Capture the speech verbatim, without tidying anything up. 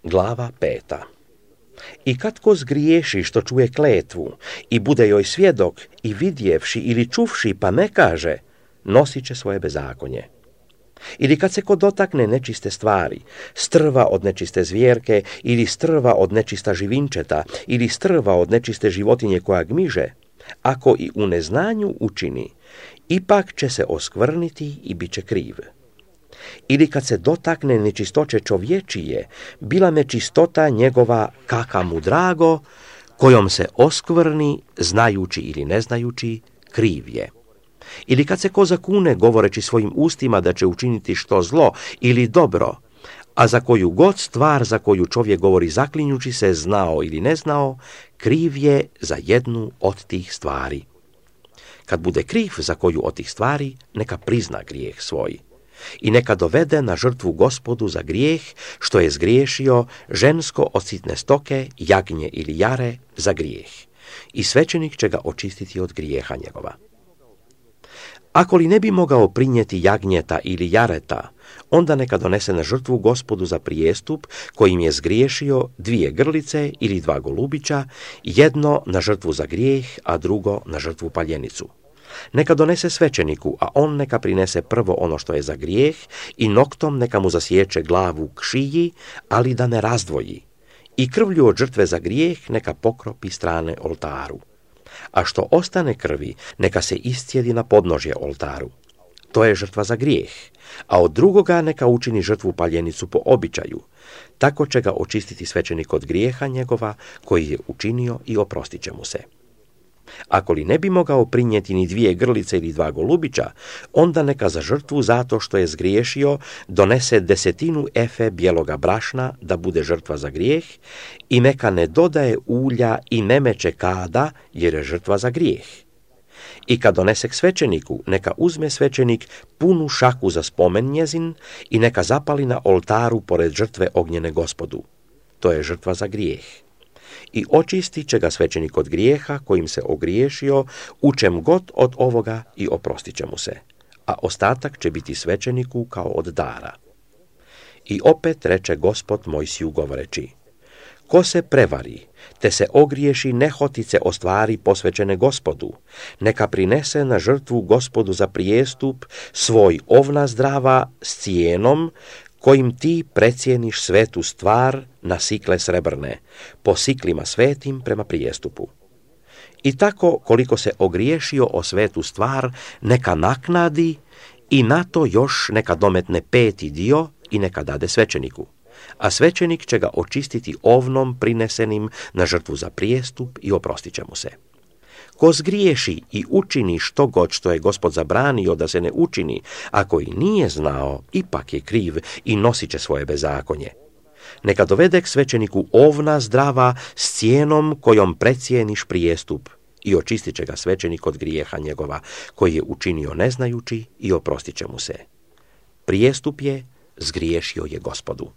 Glava peta. I kad ko zgriješi što čuje kletvu i bude joj svjedok i vidjevši ili čuvši pa ne kaže, nosit će svoje bezakonje. Ili kad se ko dotakne nečiste stvari, strva od nečiste zvjerke ili strva od nečista živinčeta ili strva od nečiste životinje koja gmiže, ako i u neznanju učini, ipak će se oskvrniti i bit će kriv. Ili kad se dotakne nečistoće čovječije, bila nečistota njegova kaka mu drago, kojom se oskvrni, znajući ili ne znajući, kriv je. Ili kad se ko zakune govoreći svojim ustima da će učiniti što zlo ili dobro, a za koju god stvar za koju čovjek govori zaklinjući se, znao ili ne znao, kriv je za jednu od tih stvari. Kad bude kriv za koju od tih stvari, neka prizna grijeh svoj i neka dovede na žrtvu Gospodu za grijeh što je zgriješio žensko od sitne stoke, jagnje ili jare za grijeh, i svećenik će ga očistiti od grijeha njegova. Ako li ne bi mogao prinijeti jagnjeta ili jareta, onda neka donese na žrtvu Gospodu za prijestup kojim je zgriješio dvije grlice ili dva golubića, jedno na žrtvu za grijeh, a drugo na žrtvu paljenicu. Neka donese svećeniku, a on neka prinese prvo ono što je za grijeh i noktom neka mu zasječe glavu k šiji, ali da ne razdvoji. I krvlju od žrtve za grijeh neka pokropi strane oltaru. A što ostane krvi, neka se iscijedi na podnožje oltaru. To je žrtva za grijeh, a od drugoga neka učini žrtvu paljenicu po običaju. Tako će ga očistiti svećenik od grijeha njegova koji je učinio i oprostit će mu se. Ako li ne bi mogao prinijeti ni dvije grlice ili dva golubića, onda neka za žrtvu zato što je zgriješio donese desetinu efe bijeloga brašna da bude žrtva za grijeh i neka ne dodaje ulja i ne meče kada jer je žrtva za grijeh. I kad donese k svećeniku, neka uzme svećenik punu šaku za spomen njezin i neka zapali na oltaru pored žrtve ognjene Gospodu. To je žrtva za grijeh. I očistit će ga svećenik od grijeha kojim se ogriješio, u čem god od ovoga i oprostit će mu se, a ostatak će biti svećeniku kao od dara. I opet reče Gospod Mojsiju govoreći, ko se prevari, te se ogriješi nehotice o stvari posvećene Gospodu, neka prinese na žrtvu Gospodu za prijestup svoj ovna zdrava s cijenom, kojim ti precijeniš svetu stvar na sikle srebrne, po siklima svetim prema prijestupu. I tako, koliko se ogriješio o svetu stvar, neka naknadi i na to još neka dometne peti dio i neka dade svećeniku. A svećenik će ga očistiti ovnom prinesenim na žrtvu za prijestup i oprostit će mu se. Ko zgriješi i učini što god što je Gospod zabranio da se ne učini, ako i nije znao, ipak je kriv i nosit će svoje bezakonje. Neka dovede k svećeniku ovna zdrava s cijenom kojom precijeniš prijestup i očistit će ga svećenik od grijeha njegova, koji je učinio neznajući i oprostit će mu se. Prijestup je, zgriješio je Gospodu.